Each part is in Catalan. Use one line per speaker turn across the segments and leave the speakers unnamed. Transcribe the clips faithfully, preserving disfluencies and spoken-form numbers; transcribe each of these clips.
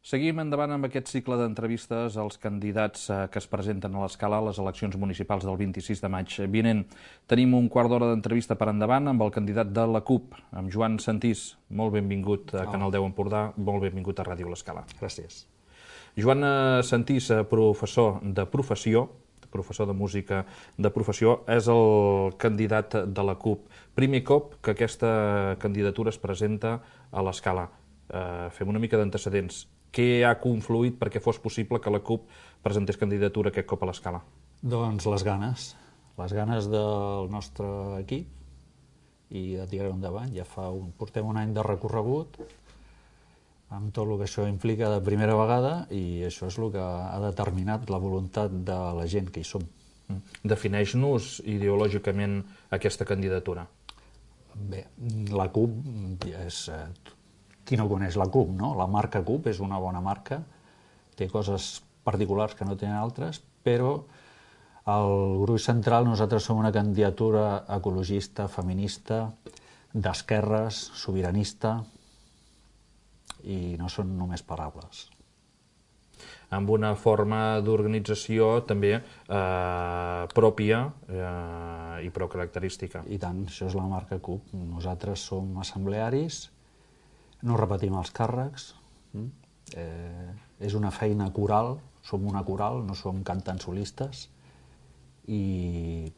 Seguim endavant amb aquest cicle d'entrevistes als candidats que es presenten a l'Escala a les eleccions municipals del vint-i-sis de maig vinent. Tenim un quart d'hora d'entrevista per endavant amb el candidat de la CUP, amb Joan Santís. Molt benvingut a Canal deu Empordà, molt benvingut a Ràdio l'Escala.
Gràcies.
Joan Santís, professor de professió, professor de música de professió, és el candidat de la CUP. Primer cop que aquesta candidatura es presenta a l'Escala. Eh, fem una mica d'antecedents. Què ha confluït perquè fos possible que la CUP presentés candidatura aquest cop a l'Escala?
Doncs les ganes, les ganes del nostre equip i de tirar-ho endavant. Ja fa un, portem un any de recorregut amb tot el que això implica de primera vegada i això és el que ha determinat la voluntat de la gent que hi som.
Defineix-nos ideològicament aquesta candidatura.
Bé, la CUP és... Qui no coneix la CUP, no? La marca CUP és una bona marca, té coses particulars que no tenen altres, però el gruix central nosaltres som una candidatura ecologista, feminista, d'esquerres, sobiranista, i no són només paraules.
Amb una forma d'organització també eh, pròpia eh, i prou característica.
I tant, això és la marca CUP. Nosaltres som assemblearis, no repetim els càrrecs, eh, és una feina coral, som una coral, no som cantant-solistes, i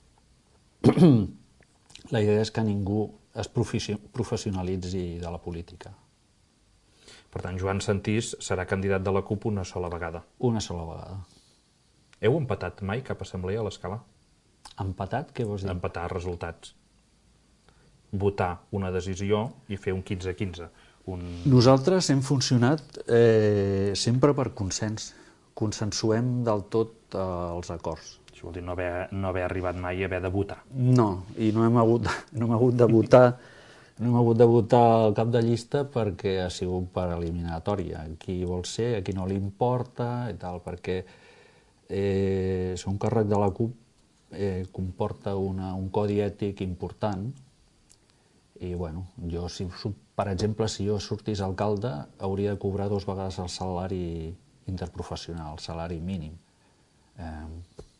la idea és que ningú es professionalitzi de la política.
Per tant, Joan Santís serà candidat de la CUP una sola vegada.
Una sola vegada.
Heu empatat mai cap assemblea a l'Escala?
Empatat? Què vols dir?
Empatar resultats. Votar una decisió i fer un quinze a quinze. Un...
Nosaltres hem funcionat eh, sempre per consens. Consensuem del tot eh, els acords.
Això vol dir no haver, no haver arribat mai a haver de votar.
No, i no hem hagut, no hem hagut de votar no hem hagut de votar el cap de llista perquè ha sigut per eliminatòria. Qui vol ser, a qui no li importa i tal, perquè eh, ser un càrrec de la CUP eh, comporta una, un codi ètic important i, bueno, jo, si, per exemple, si jo sortís alcalde, hauria de cobrar dues vegades el salari interprofessional, el salari mínim, eh,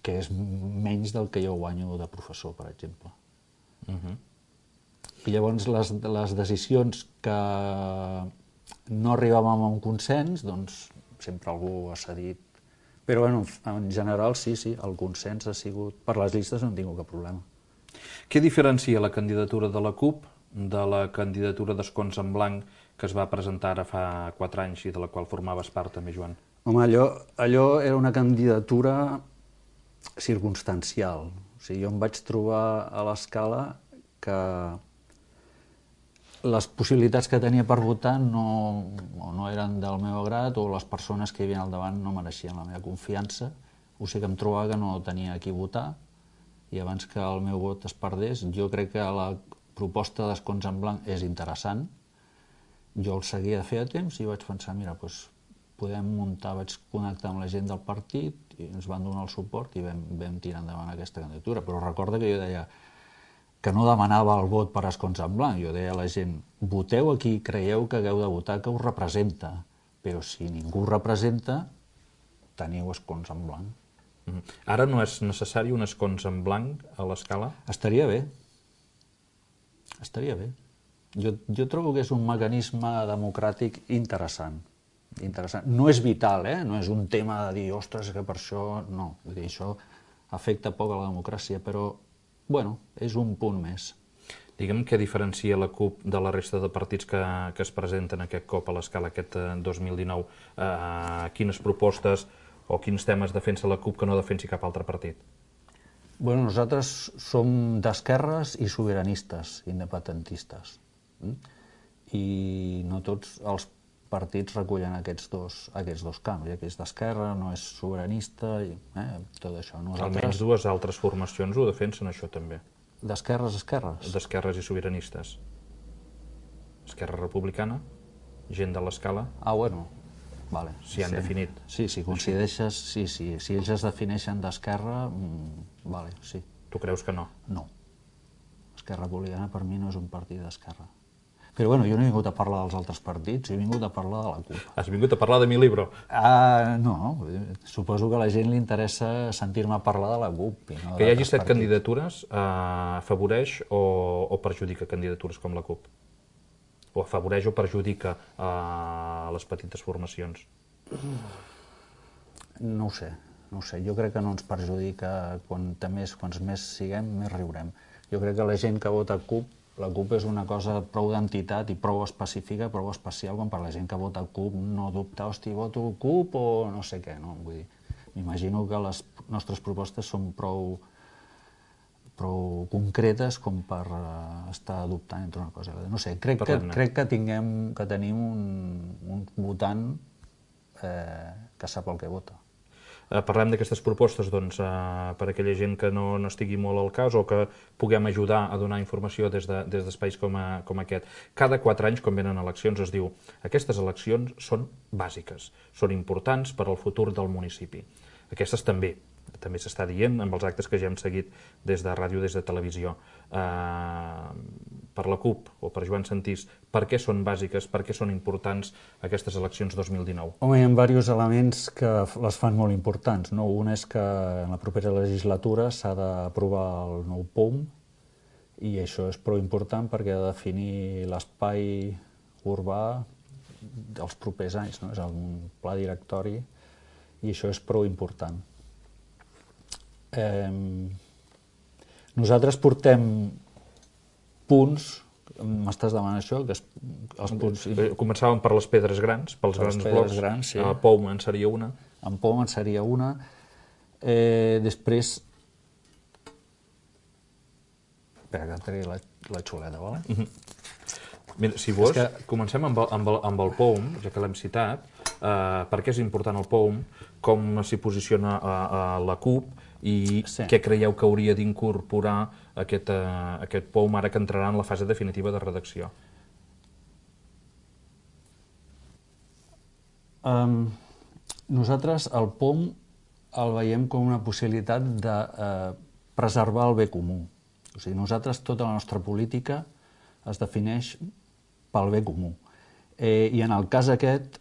que és menys del que jo guanyo de professor, per exemple.
Uh-huh.
I llavors les, les decisions que no arribàvem a un consens, doncs sempre algú ha cedit. Però, bueno, en general, sí, sí, el consens ha sigut... Per les llistes no en tinc cap problema.
Què diferencia la candidatura de la CUP de la candidatura d'Escons en Blanc que es va presentar ara fa quatre anys i de la qual formaves part també, Joan?
Home, allò, allò era una candidatura circumstancial. O sigui, jo em vaig trobar a l'Escala que les possibilitats que tenia per votar no, no eren del meu agrat o les persones que hi havia al davant no mereixien la meva confiança. O sigui que em trobava que no tenia a qui votar i abans que el meu vot es perdés, jo crec que la proposta d'Escons en Blanc és interessant. Jo el seguia de fer a temps i vaig pensar, mira, doncs podem muntar, vaig connectar amb la gent del partit i ens van donar el suport i vam, vam tirar endavant aquesta candidatura. Però recorda que jo deia que no demanava el vot per Escons en Blanc, jo deia a la gent, voteu a qui creieu que hagueu de votar, que us representa, però si ningú us representa, teniu Escons en Blanc.
Ara no és necessari un Escons en Blanc a l'Escala?
Estaria bé. Estaria bé. Jo, jo trobo que és un mecanisme democràtic interessant. interessant. No és vital, eh? No és un tema de dir, ostres, que per això... No, vull dir, això afecta poc a la democràcia, però, bueno, és un punt més.
Digue'm què diferencia la CUP de la resta de partits que, que es presenten aquest cop a l'Escala aquest dos mil dinou. Uh, quines propostes o quins temes defensa la CUP que no defensi cap altre partit?
Bueno, nosaltres som d'esquerres i sobiranistes, independentistes. I no tots els partits recullen aquests dos, aquests dos camps. Hi ha qui és d'esquerra, no és sobiranista, i eh, tot això. Nosaltres...
Almenys dues altres formacions ho defensen, això també.
D'esquerres, esquerres?
D'esquerres i sobiranistes. Esquerra Republicana, gent de l'Escala...
Ah, bueno... Vale,
si han
sí.
definit.
Sí, si coincideixes, sí, sí. Si ells es defineixen d'esquerra, mmm, vale, sí.
Tu creus que no?
No. Esquerra Republicana per mi no és un partit d'esquerra. Però bueno, jo no he vingut a parlar dels altres partits, he vingut a parlar de la CUP.
Has vingut a parlar de mi libro?
Ah, no, suposo que a la gent li interessa sentir-me parlar de la CUP. I no
que hi hagi set
partits.
candidatures eh, afavoreix o, o perjudica candidatures com la CUP? O afavoreix o perjudica eh, les petites formacions?
No ho sé, no ho sé. Jo crec que no ens perjudica. Quant més, quants més siguem, més riurem. Jo crec que la gent que vota CUP, la CUP és una cosa prou d'entitat i prou específica, prou especial, quan per la gent que vota CUP no dubta, hosti, voto CUP o no sé què, no? Vull dir, m'imagino que les nostres propostes són prou, prou concretes com per uh, estar dubtant entre una cosa i l'altra. No sé, crec que, crec que, tinguem, que tenim un, un votant eh, que sap el que vota.
Parlem d'aquestes propostes doncs, per a aquella gent que no, no estigui molt al cas o que puguem ajudar a donar informació des d'espais com, a, com aquest. Cada quatre anys, quan venen eleccions, es diu aquestes eleccions són bàsiques, són importants per al futur del municipi. Aquestes també, també s'està dient amb els actes que ja hem seguit des de ràdio, des de televisió. Eh, per la CUP o per Joan Sentís, per què són bàsiques, per què són importants aquestes eleccions dos mil dinou?
Home, hi ha diversos elements que les fan molt importants, no? Un és que en la propera legislatura s'ha d'aprovar el nou P O M i això és prou important perquè ha de definir l'espai urbà dels propers anys, no? És un pla directori i això és prou important. Eh, nosaltres portem punts, m'estàs demanant això? Que es, els punts...
Començàvem per les pedres grans, pels grans blocs,
grans, sí.
A P O M en seria una.
En P O M en seria una. Eh, després... Espera, que trigui la, la xuleta, vale?
Uh -huh. Mira, si vols,
que...
comencem amb el, amb, el, amb el P O M, ja que l'hem citat. Eh, per què és important el P O M, com s'hi posiciona a, a la CUP i sí. Què creieu que hauria d'incorporar aquest, uh, aquest P O M ara que entrarà en la fase definitiva de redacció?
Um, nosaltres el P O M el veiem com una possibilitat de uh, preservar el bé comú. O sigui, nosaltres, tota la nostra política es defineix pel bé comú. Eh, I en el cas aquest,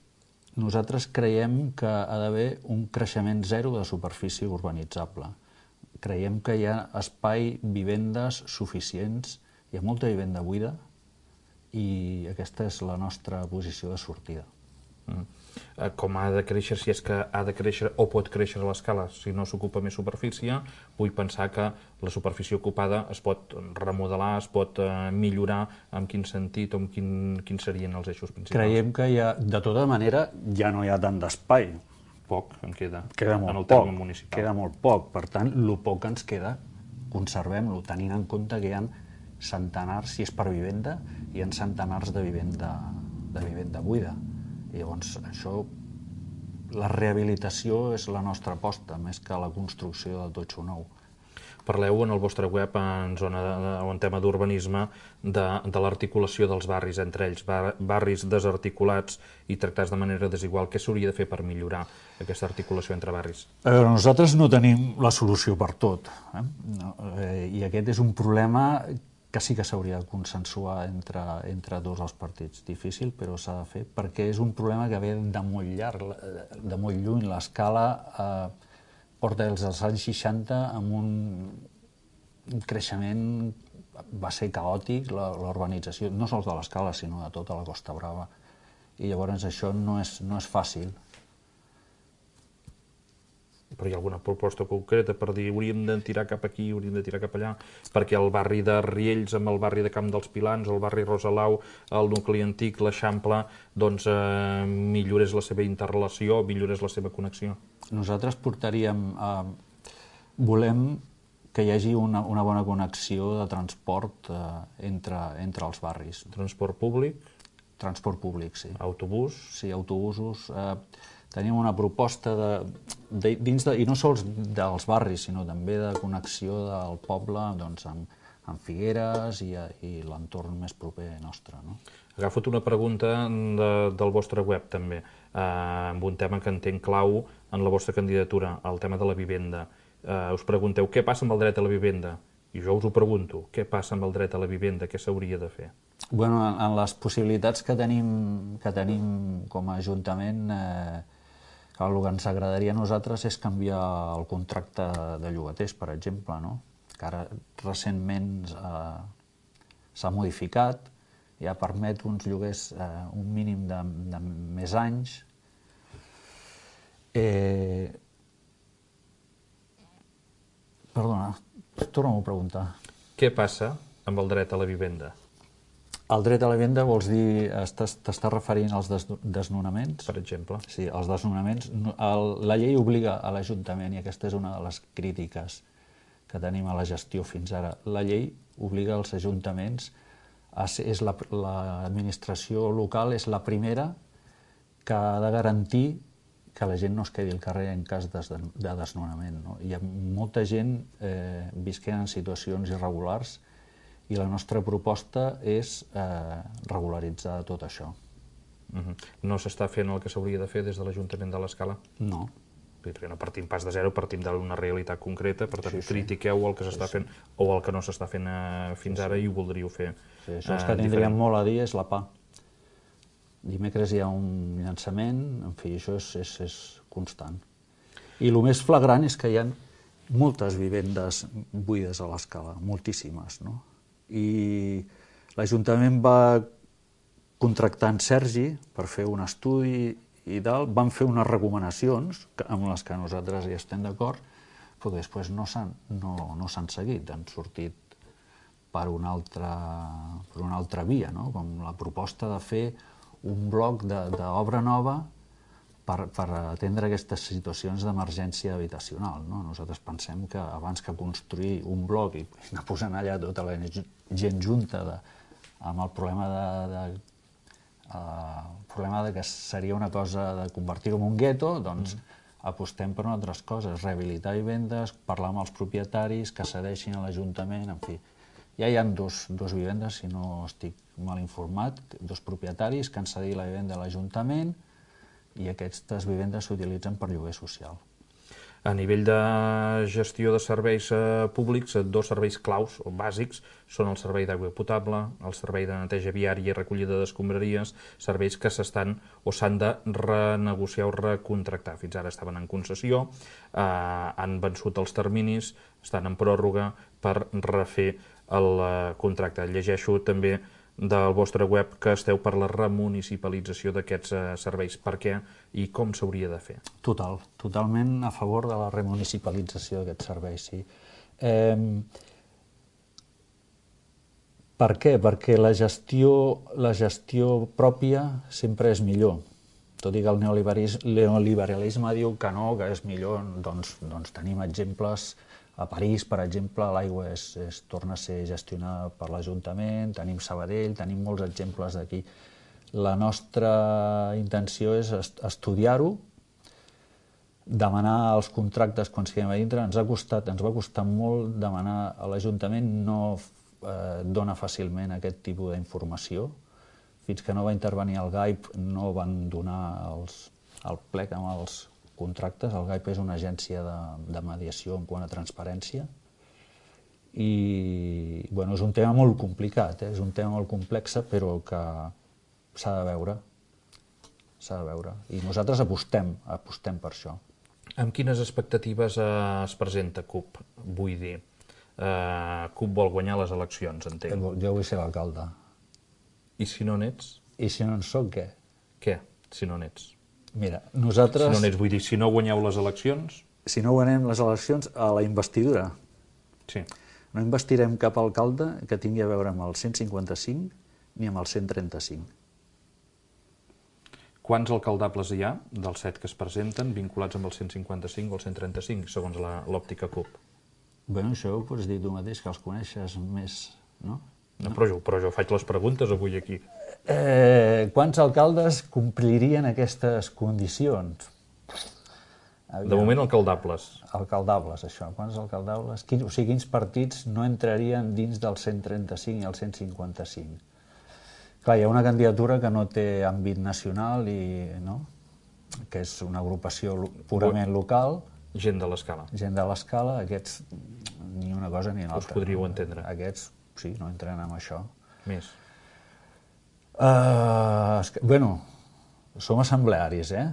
nosaltres creiem que ha d'haver un creixement zero de superfície urbanitzable. Creiem que hi ha espai, vivendes suficients, hi ha molta vivenda buida i aquesta és la nostra posició de sortida.
Mm. Com ha de créixer, si és que ha de créixer o pot créixer a l'escala, si no s'ocupa més superfície, vull pensar que la superfície ocupada es pot remodelar, es pot eh, millorar, en quin sentit o en quin, quins serien els eixos principals?
Creiem que hi ha, de tota manera, ja no hi ha tant d'espai.
Poc en queda,
queda molt
en el
poc,
terme municipal.
Queda molt poc, per tant, el poc que ens queda, conservem-lo, tenint en compte que hi ha centenars, si és per vivenda, hi ha centenars de vivenda, de vivenda buida. I llavors, això, la rehabilitació és la nostra aposta, més que la construcció de totxo nou.
Parleu en el vostre web, en, zona de, en tema d'urbanisme, de, de l'articulació dels barris entre ells, bar, barris desarticulats i tractats de manera desigual. Què s'hauria de fer per millorar aquesta articulació entre barris?
A veure, nosaltres no tenim la solució per tot, eh? No, eh, i aquest és un problema que sí que s'hauria de consensuar entre, entre tots els partits. Difícil, però s'ha de fer, perquè és un problema que ve de molt llarg, de molt lluny. L'escala eh, porta des dels anys seixanta amb un, un creixement, va ser caòtic, la, la urbanització, no sols de l'escala, sinó de tota la Costa Brava. I llavors això no és, no és fàcil.
Però hi ha alguna proposta concreta per dir hauríem de tirar cap aquí, hauríem de tirar cap allà, perquè el barri de Riells amb el barri de Camp dels Pilans, el barri Rosalau, el nucli antic, l'Eixample, doncs eh, millorés la seva interrelació, millorés la seva connexió?
Nosaltres portaríem... Eh, volem que hi hagi una, una bona connexió de transport eh, entre, entre els barris.
Transport públic?
Transport públic, sí.
Autobús?
Sí, autobusos. Eh, tenim una proposta de, de, dins de, i no sols dels barris, sinó també de connexió del poble doncs, amb, amb Figueres i, i l'entorn més proper nostre. No?
Agafo una pregunta de, del vostre web, també, eh, amb un tema que entenc clau en la vostra candidatura, el tema de la vivenda. Eh, us pregunteu què passa amb el dret a la vivenda? I jo us ho pregunto, què passa amb el dret a la vivenda? Què s'hauria de fer?
Bueno, en les possibilitats que tenim, que tenim com a Ajuntament, eh, el que ens agradaria a nosaltres és canviar el contracte de llogaters, per exemple, no? Que ara recentment eh, s'ha modificat, ja permet uns lloguers eh, un mínim de, de més anys. Eh... Perdona, torna-m'ho a preguntar.
Què passa amb el dret a la vivenda?
El dret a la vivenda vols dir, t'estàs referint als desnonaments?
Per exemple.
Sí, els desnonaments. La llei obliga a l'Ajuntament, i aquesta és una de les crítiques que tenim a la gestió fins ara, la llei obliga als ajuntaments, a ser, és l'administració local és la primera que ha de garantir que la gent no es quedi al carrer en cas de desnonament. No? Hi ha molta gent eh, visquent en situacions irregulars i la nostra proposta és eh, regularitzar tot això.
Uh-huh. No s'està fent el que s'hauria de fer des de l'Ajuntament de l'Escala?
No.
Perquè no partim pas de zero, partim d'una realitat concreta, per tant, sí, sí. critiqueu el que s'està sí, sí. fent o el que no s'està fent eh, fins sí, sí. ara i ho voldríeu fer
sí, això és que eh, tindríem molt a dir és la P A. Dimecres hi ha un llançament, en fi, això és, és, és constant. I el més flagrant és que hi ha moltes vivendes buides a l'Escala, moltíssimes, no? I l'Ajuntament va contractar en Sergi per fer un estudi i tal, van fer unes recomanacions amb les que nosaltres hi estem d'acord, però que després no s'han no, no s'han seguit, han sortit per una altra, per una altra via, no? Com la proposta de fer un bloc d'obra nova per, per atendre aquestes situacions d'emergència habitacional. No? Nosaltres pensem que abans que construir un bloc i anar posant allà tota la gent junta de, amb el problema de, de, uh, el problema de que seria una cosa de convertir-ho en un gueto, doncs mm. apostem per altres coses, rehabilitar vivendes, parlar amb els propietaris, que cedeixin a l'Ajuntament, en fi. Ja hi ha dos, dos vivendes, si no estic mal informat, dos propietaris que han cedit la vivenda a l'Ajuntament i aquestes vivendes s'utilitzen per lloguer social.
A nivell de gestió de serveis eh, públics, dos serveis claus o bàsics són el servei d'aigua potable, el servei de neteja viària i recollida d'escombraries, serveis que s'estan o s'han de renegociar o recontractar. Fins ara estaven en concessió, eh, han vençut els terminis, estan en pròrroga per refer el eh, contracte. Llegeixo també del vostre web que esteu per la remunicipalització d'aquests eh, serveis. Per què i com s'hauria de fer?
Total, totalment a favor de la remunicipalització d'aquests serveis, sí. Eh, per què? Perquè la gestió, la gestió pròpia sempre és millor. Tot i que el neoliberalisme diu que no, que és millor, doncs, doncs tenim exemples. A París, per exemple, l'aigua es, es torna a ser gestionada per l'Ajuntament, tenim Sabadell, tenim molts exemples d'aquí. La nostra intenció és estudiar-ho, demanar els contractes quan siguem a dintre. Ens ha costat, ens va costar molt demanar a l'Ajuntament, no eh, dona fàcilment aquest tipus d'informació. Fins que no va intervenir el G A I P no van donar els, el plec amb els contractes. El G A I P és una agència de, de mediació en quant a transparència i bueno, és un tema molt complicat, eh? És un tema molt complex, però que s'ha de veure, s'ha de veure. I nosaltres apostem, apostem per això.
Amb quines expectatives eh, es presenta C U P? Vull dir, eh, C U P vol guanyar les eleccions, entenc.
Jo vull ser l'alcalde.
I si no n'ets?
I si no en soc, què?
Què, si no n'ets?
Mira, nosaltres...
Si no n'ets, vull dir, si no guanyeu les eleccions...
Si no guanyem les eleccions, a la investidura.
Sí.
No investirem cap alcalde que tingui a veure amb el cent cinquanta-cinc ni amb el cent trenta-cinc.
Quants alcaldables hi ha, dels set que es presenten, vinculats amb el cent cinquanta-cinc o el cent trenta-cinc, segons l'òptica C U P?
Bé, això ho pots dir tu mateix, que els coneixes més, no?
No, però, jo, però jo faig les preguntes avui aquí.
Eh, quants alcaldes complirien aquestes condicions?
De moment, alcaldables.
Alcaldables, això. Quants alcaldables? Quins, o sigui, quins partits no entrarien dins del cent trenta-cinc i el cent cinquanta-cinc? Clar, hi ha una candidatura que no té àmbit nacional i, no? Que és una agrupació purament local.
Gent de l'Escala.
Gent de l'Escala, aquests ni una cosa ni l'altra.
Us podríeu entendre.
Aquests, sí, no entren en això.
Més.
Uh, bueno, som assemblearis, eh?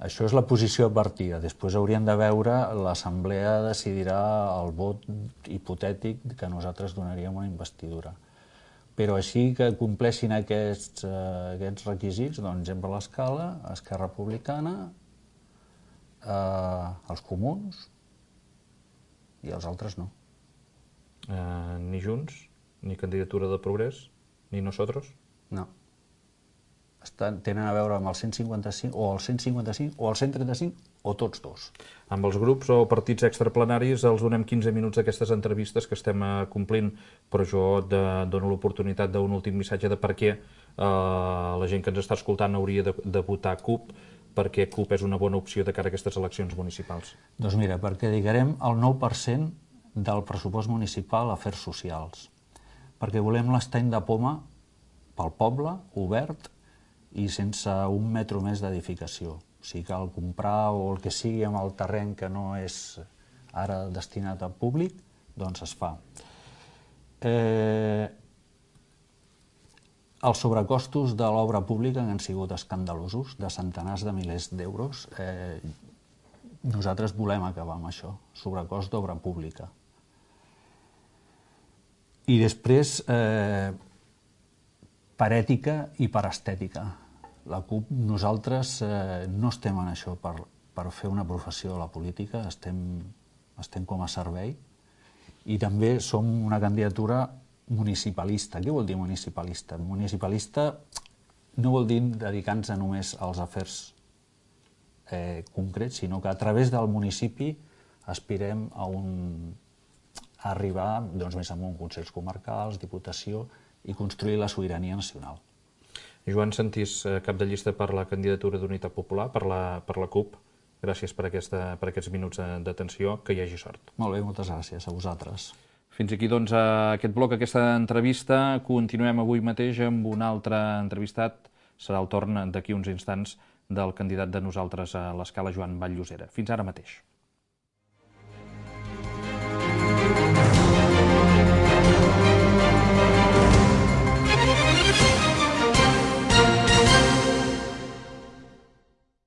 Això és la posició advertida. Després hauríem de veure, l'assemblea decidirà el vot hipotètic que nosaltres donaríem una investidura. Però així que compleixin aquests, uh, aquests requisits, doncs Gent per l'Escala, Esquerra Republicana, uh, els comuns i els altres no.
Uh, ni Junts, ni candidatura de Progrés, ni Nosotros?
No. Estan, tenen a veure amb el cent cinquanta-cinc, o el cent cinquanta-cinc, o el cent trenta-cinc, o tots dos.
Amb els grups o partits extraplenaris els donem quinze minuts d'aquestes entrevistes que estem complint, però jo de, dono l'oportunitat d'un últim missatge de per què eh, la gent que ens està escoltant hauria de, de votar CUP, perquè CUP és una bona opció de cara a aquestes eleccions municipals.
Doncs mira, perquè dedicarem el nou per cent del pressupost municipal a afers socials, perquè volem l'estany de poma pel poble, obert, i sense un metro més d'edificació. Si cal comprar o el que sigui amb el terreny que no és ara destinat al públic, doncs es fa. Eh, els sobrecostos de l'obra pública han sigut escandalosos, de centenars de milers d'euros. Eh, nosaltres volem acabar amb això, sobrecost d'obra pública. I després, eh, per ètica i per estètica. La CUP, nosaltres eh, no estem en això per, per fer una professió de la política, estem, estem com a servei, i també som una candidatura municipalista. Què vol dir municipalista? Municipalista no vol dir dedicar-nos només als afers eh, concrets, sinó que a través del municipi aspirem a, un, a arribar doncs, més amunt, consells comarcals, diputació, i construir la sobirania nacional.
Joan Sentís, cap de llista per la candidatura d'Unitat Popular, per la, per la CUP, gràcies per, aquesta, per aquests minuts d'atenció, que hi hagi sort.
Molt bé, moltes gràcies a vosaltres.
Fins aquí, doncs, aquest bloc, aquesta entrevista. Continuem avui mateix amb un altre entrevistat. Serà el torn d'aquí uns instants del candidat de nosaltres a l'Escala, Joan Vall-Llosera. Fins ara mateix.